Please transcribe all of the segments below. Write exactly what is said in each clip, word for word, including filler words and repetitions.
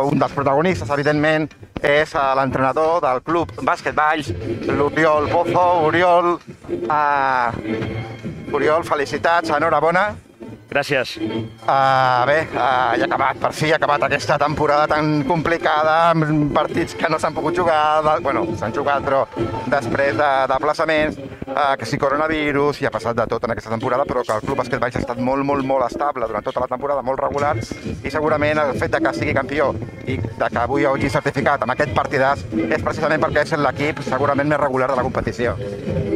un dels protagonistes, evidentment, és l'entrenador del club Bàsquet Valls, l'Oriol Pozo. Oriol, uh, Oriol, felicitats, enhorabona. Gràcies. Uh, bé, uh, ja ha acabat, per fi ha acabat aquesta temporada tan complicada, amb partits que no s'han pogut jugar, de, bueno, s'han jugat, però després de desplaçaments, uh, que si coronavirus, i ha passat de tot en aquesta temporada, però que el Club Bàsquet Valls ha estat molt, molt, molt estable durant tota la temporada, molt regular, i segurament el fet de que sigui campió i de que avui hagi certificat amb aquest partidàs és precisament perquè és l'equip segurament més regular de la competició.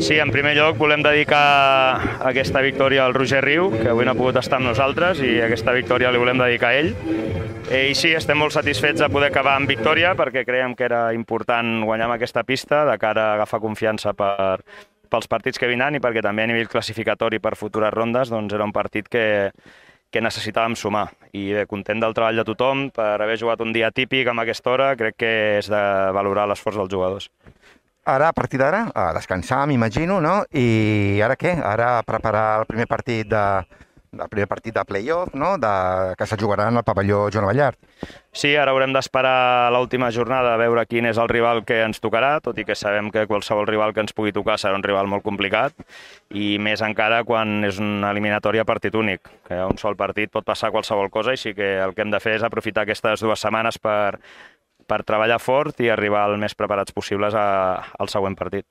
Sí, en primer lloc volem dedicar aquesta victòria al Roger Riu, que avui no ha pogut estar amb nosaltres, i aquesta victòria li volem dedicar a ell. I sí, estem molt satisfets de poder acabar amb victòria, perquè creiem que era important guanyar amb aquesta pista de cara a agafar confiança per, pels partits que vindran i perquè també a nivell classificatori per futures rondes doncs era un partit que, que necessitàvem sumar. I bé, content del treball de tothom per haver jugat un dia típic amb aquesta hora, crec que és de valorar l'esforç dels jugadors. Ara, a partir d'ara, a descansar, m'imagino, no? I ara què? Ara preparar el primer partit de, el primer partit de play-off, no? De, que se jugarà en el pavelló Joan Abellart. Sí, ara haurem d'esperar l'última jornada a veure quin és el rival que ens tocarà, tot i que sabem que qualsevol rival que ens pugui tocar serà un rival molt complicat, i més encara quan és una eliminatòria partit únic, que a un sol partit pot passar qualsevol cosa, i sí que el que hem de fer és aprofitar aquestes dues setmanes per per treballar fort i arribar el més preparats possibles a, al següent partit.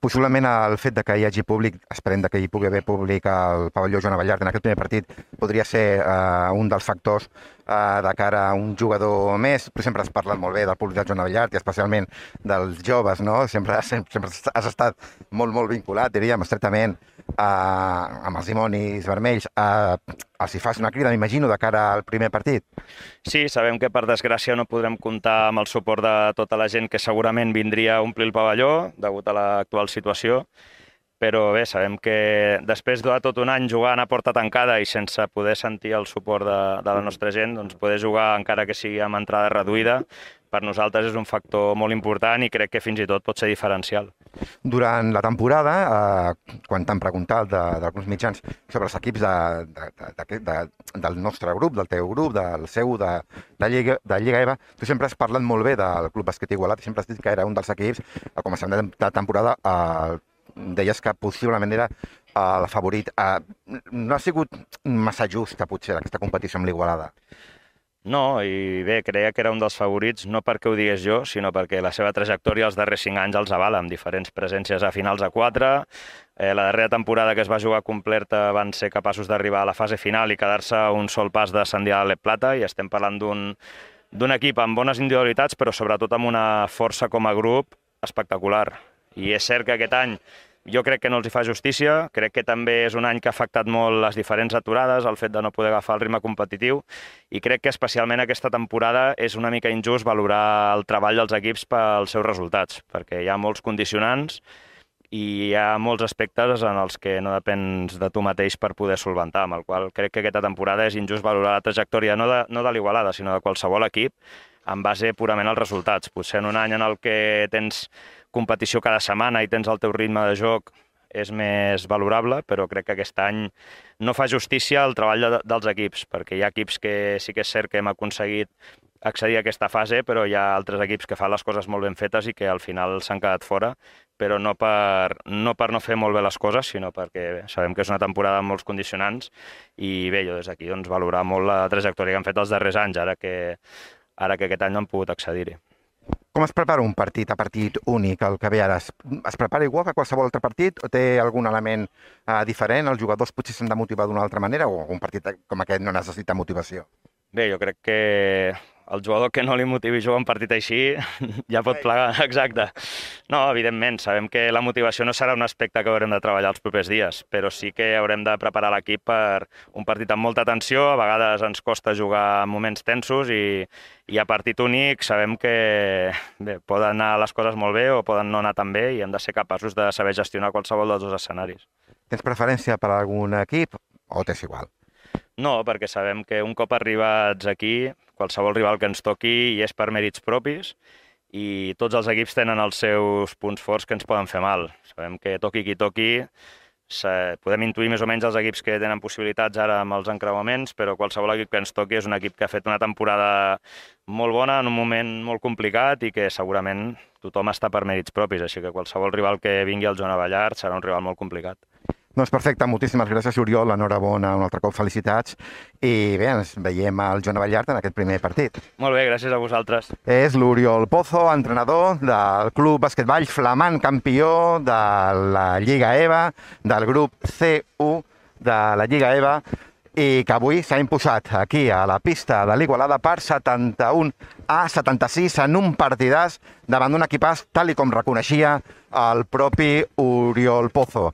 Possiblement el fet de que hi hagi públic, esperem que hi pugui haver públic al pavelló Joan Abellart en aquest primer partit, podria ser uh, un dels factors uh, de cara a un jugador més. Sempre has parlat molt bé del públic del Joan Abellart i especialment dels joves, no? Sempre, sempre, sempre has estat molt, molt vinculat, diríem, estretament Uh, amb els dimonis vermells. Uh, els hi fas una crida, m'imagino, de cara al primer partit? Sí, sabem que per desgràcia no podrem comptar amb el suport de tota la gent que segurament vindria a omplir el pavelló degut a l'actual situació, però bé, sabem que després de tot un any jugant a porta tancada i sense poder sentir el suport de, de la nostra gent, doncs poder jugar encara que sigui amb entrada reduïda, per nosaltres és un factor molt important i crec que fins i tot pot ser diferencial. Durant la temporada, eh, quan t'han preguntat d'alguns mitjans sobre els equips de, de, de, de, del nostre grup, del teu grup, del seu, de, de, Lliga, de Lliga E V A, tu sempre has parlat molt bé del Club Bàsquet Igualat i sempre has dit que era un dels equips, a començament de temporada, eh, deies que possiblement era el favorit. Eh, no ha sigut massa justa, potser, aquesta competició amb l'Igualada? No, i bé, creia que era un dels favorits, no perquè ho digués jo, sinó perquè la seva trajectòria els darrers cinc anys els avala, amb diferents presències a finals a quatre. Eh, la darrera temporada que es va jugar completa van ser capaços d'arribar a la fase final i quedar-se un sol pas d'ascendir a l'E Plata, i estem parlant d'un d'un equip amb bones individualitats, però sobretot amb una força com a grup espectacular. I és cert que aquest any jo crec que no els hi fa justícia, crec que també és un any que ha afectat molt les diferents aturades, el fet de no poder agafar el ritme competitiu, i crec que especialment aquesta temporada és una mica injust valorar el treball dels equips pels seus resultats, perquè hi ha molts condicionants i hi ha molts aspectes en els que no depens de tu mateix per poder solventar, amb el qual crec que aquesta temporada és injust valorar la trajectòria no de, no de l'Igualada, sinó de qualsevol equip, en base purament als resultats. Potser en un any en el que tens competició cada setmana i tens el teu ritme de joc és més valorable, però crec que aquest any no fa justícia al treball de, dels equips, perquè hi ha equips que sí que és cert que hem aconseguit accedir a aquesta fase, però hi ha altres equips que fan les coses molt ben fetes i que al final s'han quedat fora, però no per, no per no fer molt bé les coses, sinó perquè bé, sabem que és una temporada amb molts condicionants i bé, jo des d'aquí doncs, valorar molt la trajectòria que han fet els darrers anys, ara que, ara que aquest any no han pogut accedir-hi. Com es prepara un partit a partit únic, el que ve ara? Es, es prepara igual que qualsevol altre partit o té algun element uh, diferent? Els jugadors potser s'han de motivar d'una altra manera o un partit com aquest no necessita motivació? Bé, jo crec que el jugador que no li motivi jugar un partit així ja pot plegar, exacte. No, evidentment, sabem que la motivació no serà un aspecte que haurem de treballar els propers dies, però sí que haurem de preparar l'equip per un partit amb molta tensió, a vegades ens costa jugar en moments tensos i, i a partit únic sabem que bé, poden anar les coses molt bé o poden no anar tan bé i hem de ser capaços de saber gestionar qualsevol dels dos escenaris. Tens preferència per algun equip o t'és igual? No, perquè sabem que un cop arribats aquí, qualsevol rival que ens toqui hi és per mèrits propis i tots els equips tenen els seus punts forts que ens poden fer mal. Sabem que toqui qui toqui, podem intuir més o menys els equips que tenen possibilitats ara amb els encreuaments, però qualsevol equip que ens toqui és un equip que ha fet una temporada molt bona en un moment molt complicat i que segurament tothom està per mèrits propis, així que qualsevol rival que vingui al Joan Abellard serà un rival molt complicat. Doncs perfecte, moltíssimes gràcies, Oriol, enhorabona, un altre cop felicitats, i bé, ens veiem al Joan Abellard en aquest primer partit. Molt bé, gràcies a vosaltres. És l'Oriol Pozo, entrenador del Club Basquetball Flamant, campió de la Lliga EVA, del grup C u de la Lliga EVA, i que avui s'ha imposat aquí a la pista de l'Igualada per setanta-un a setanta-sis en un partidàs davant d'un equipàs tal i com reconeixia el propi Oriol Pozo.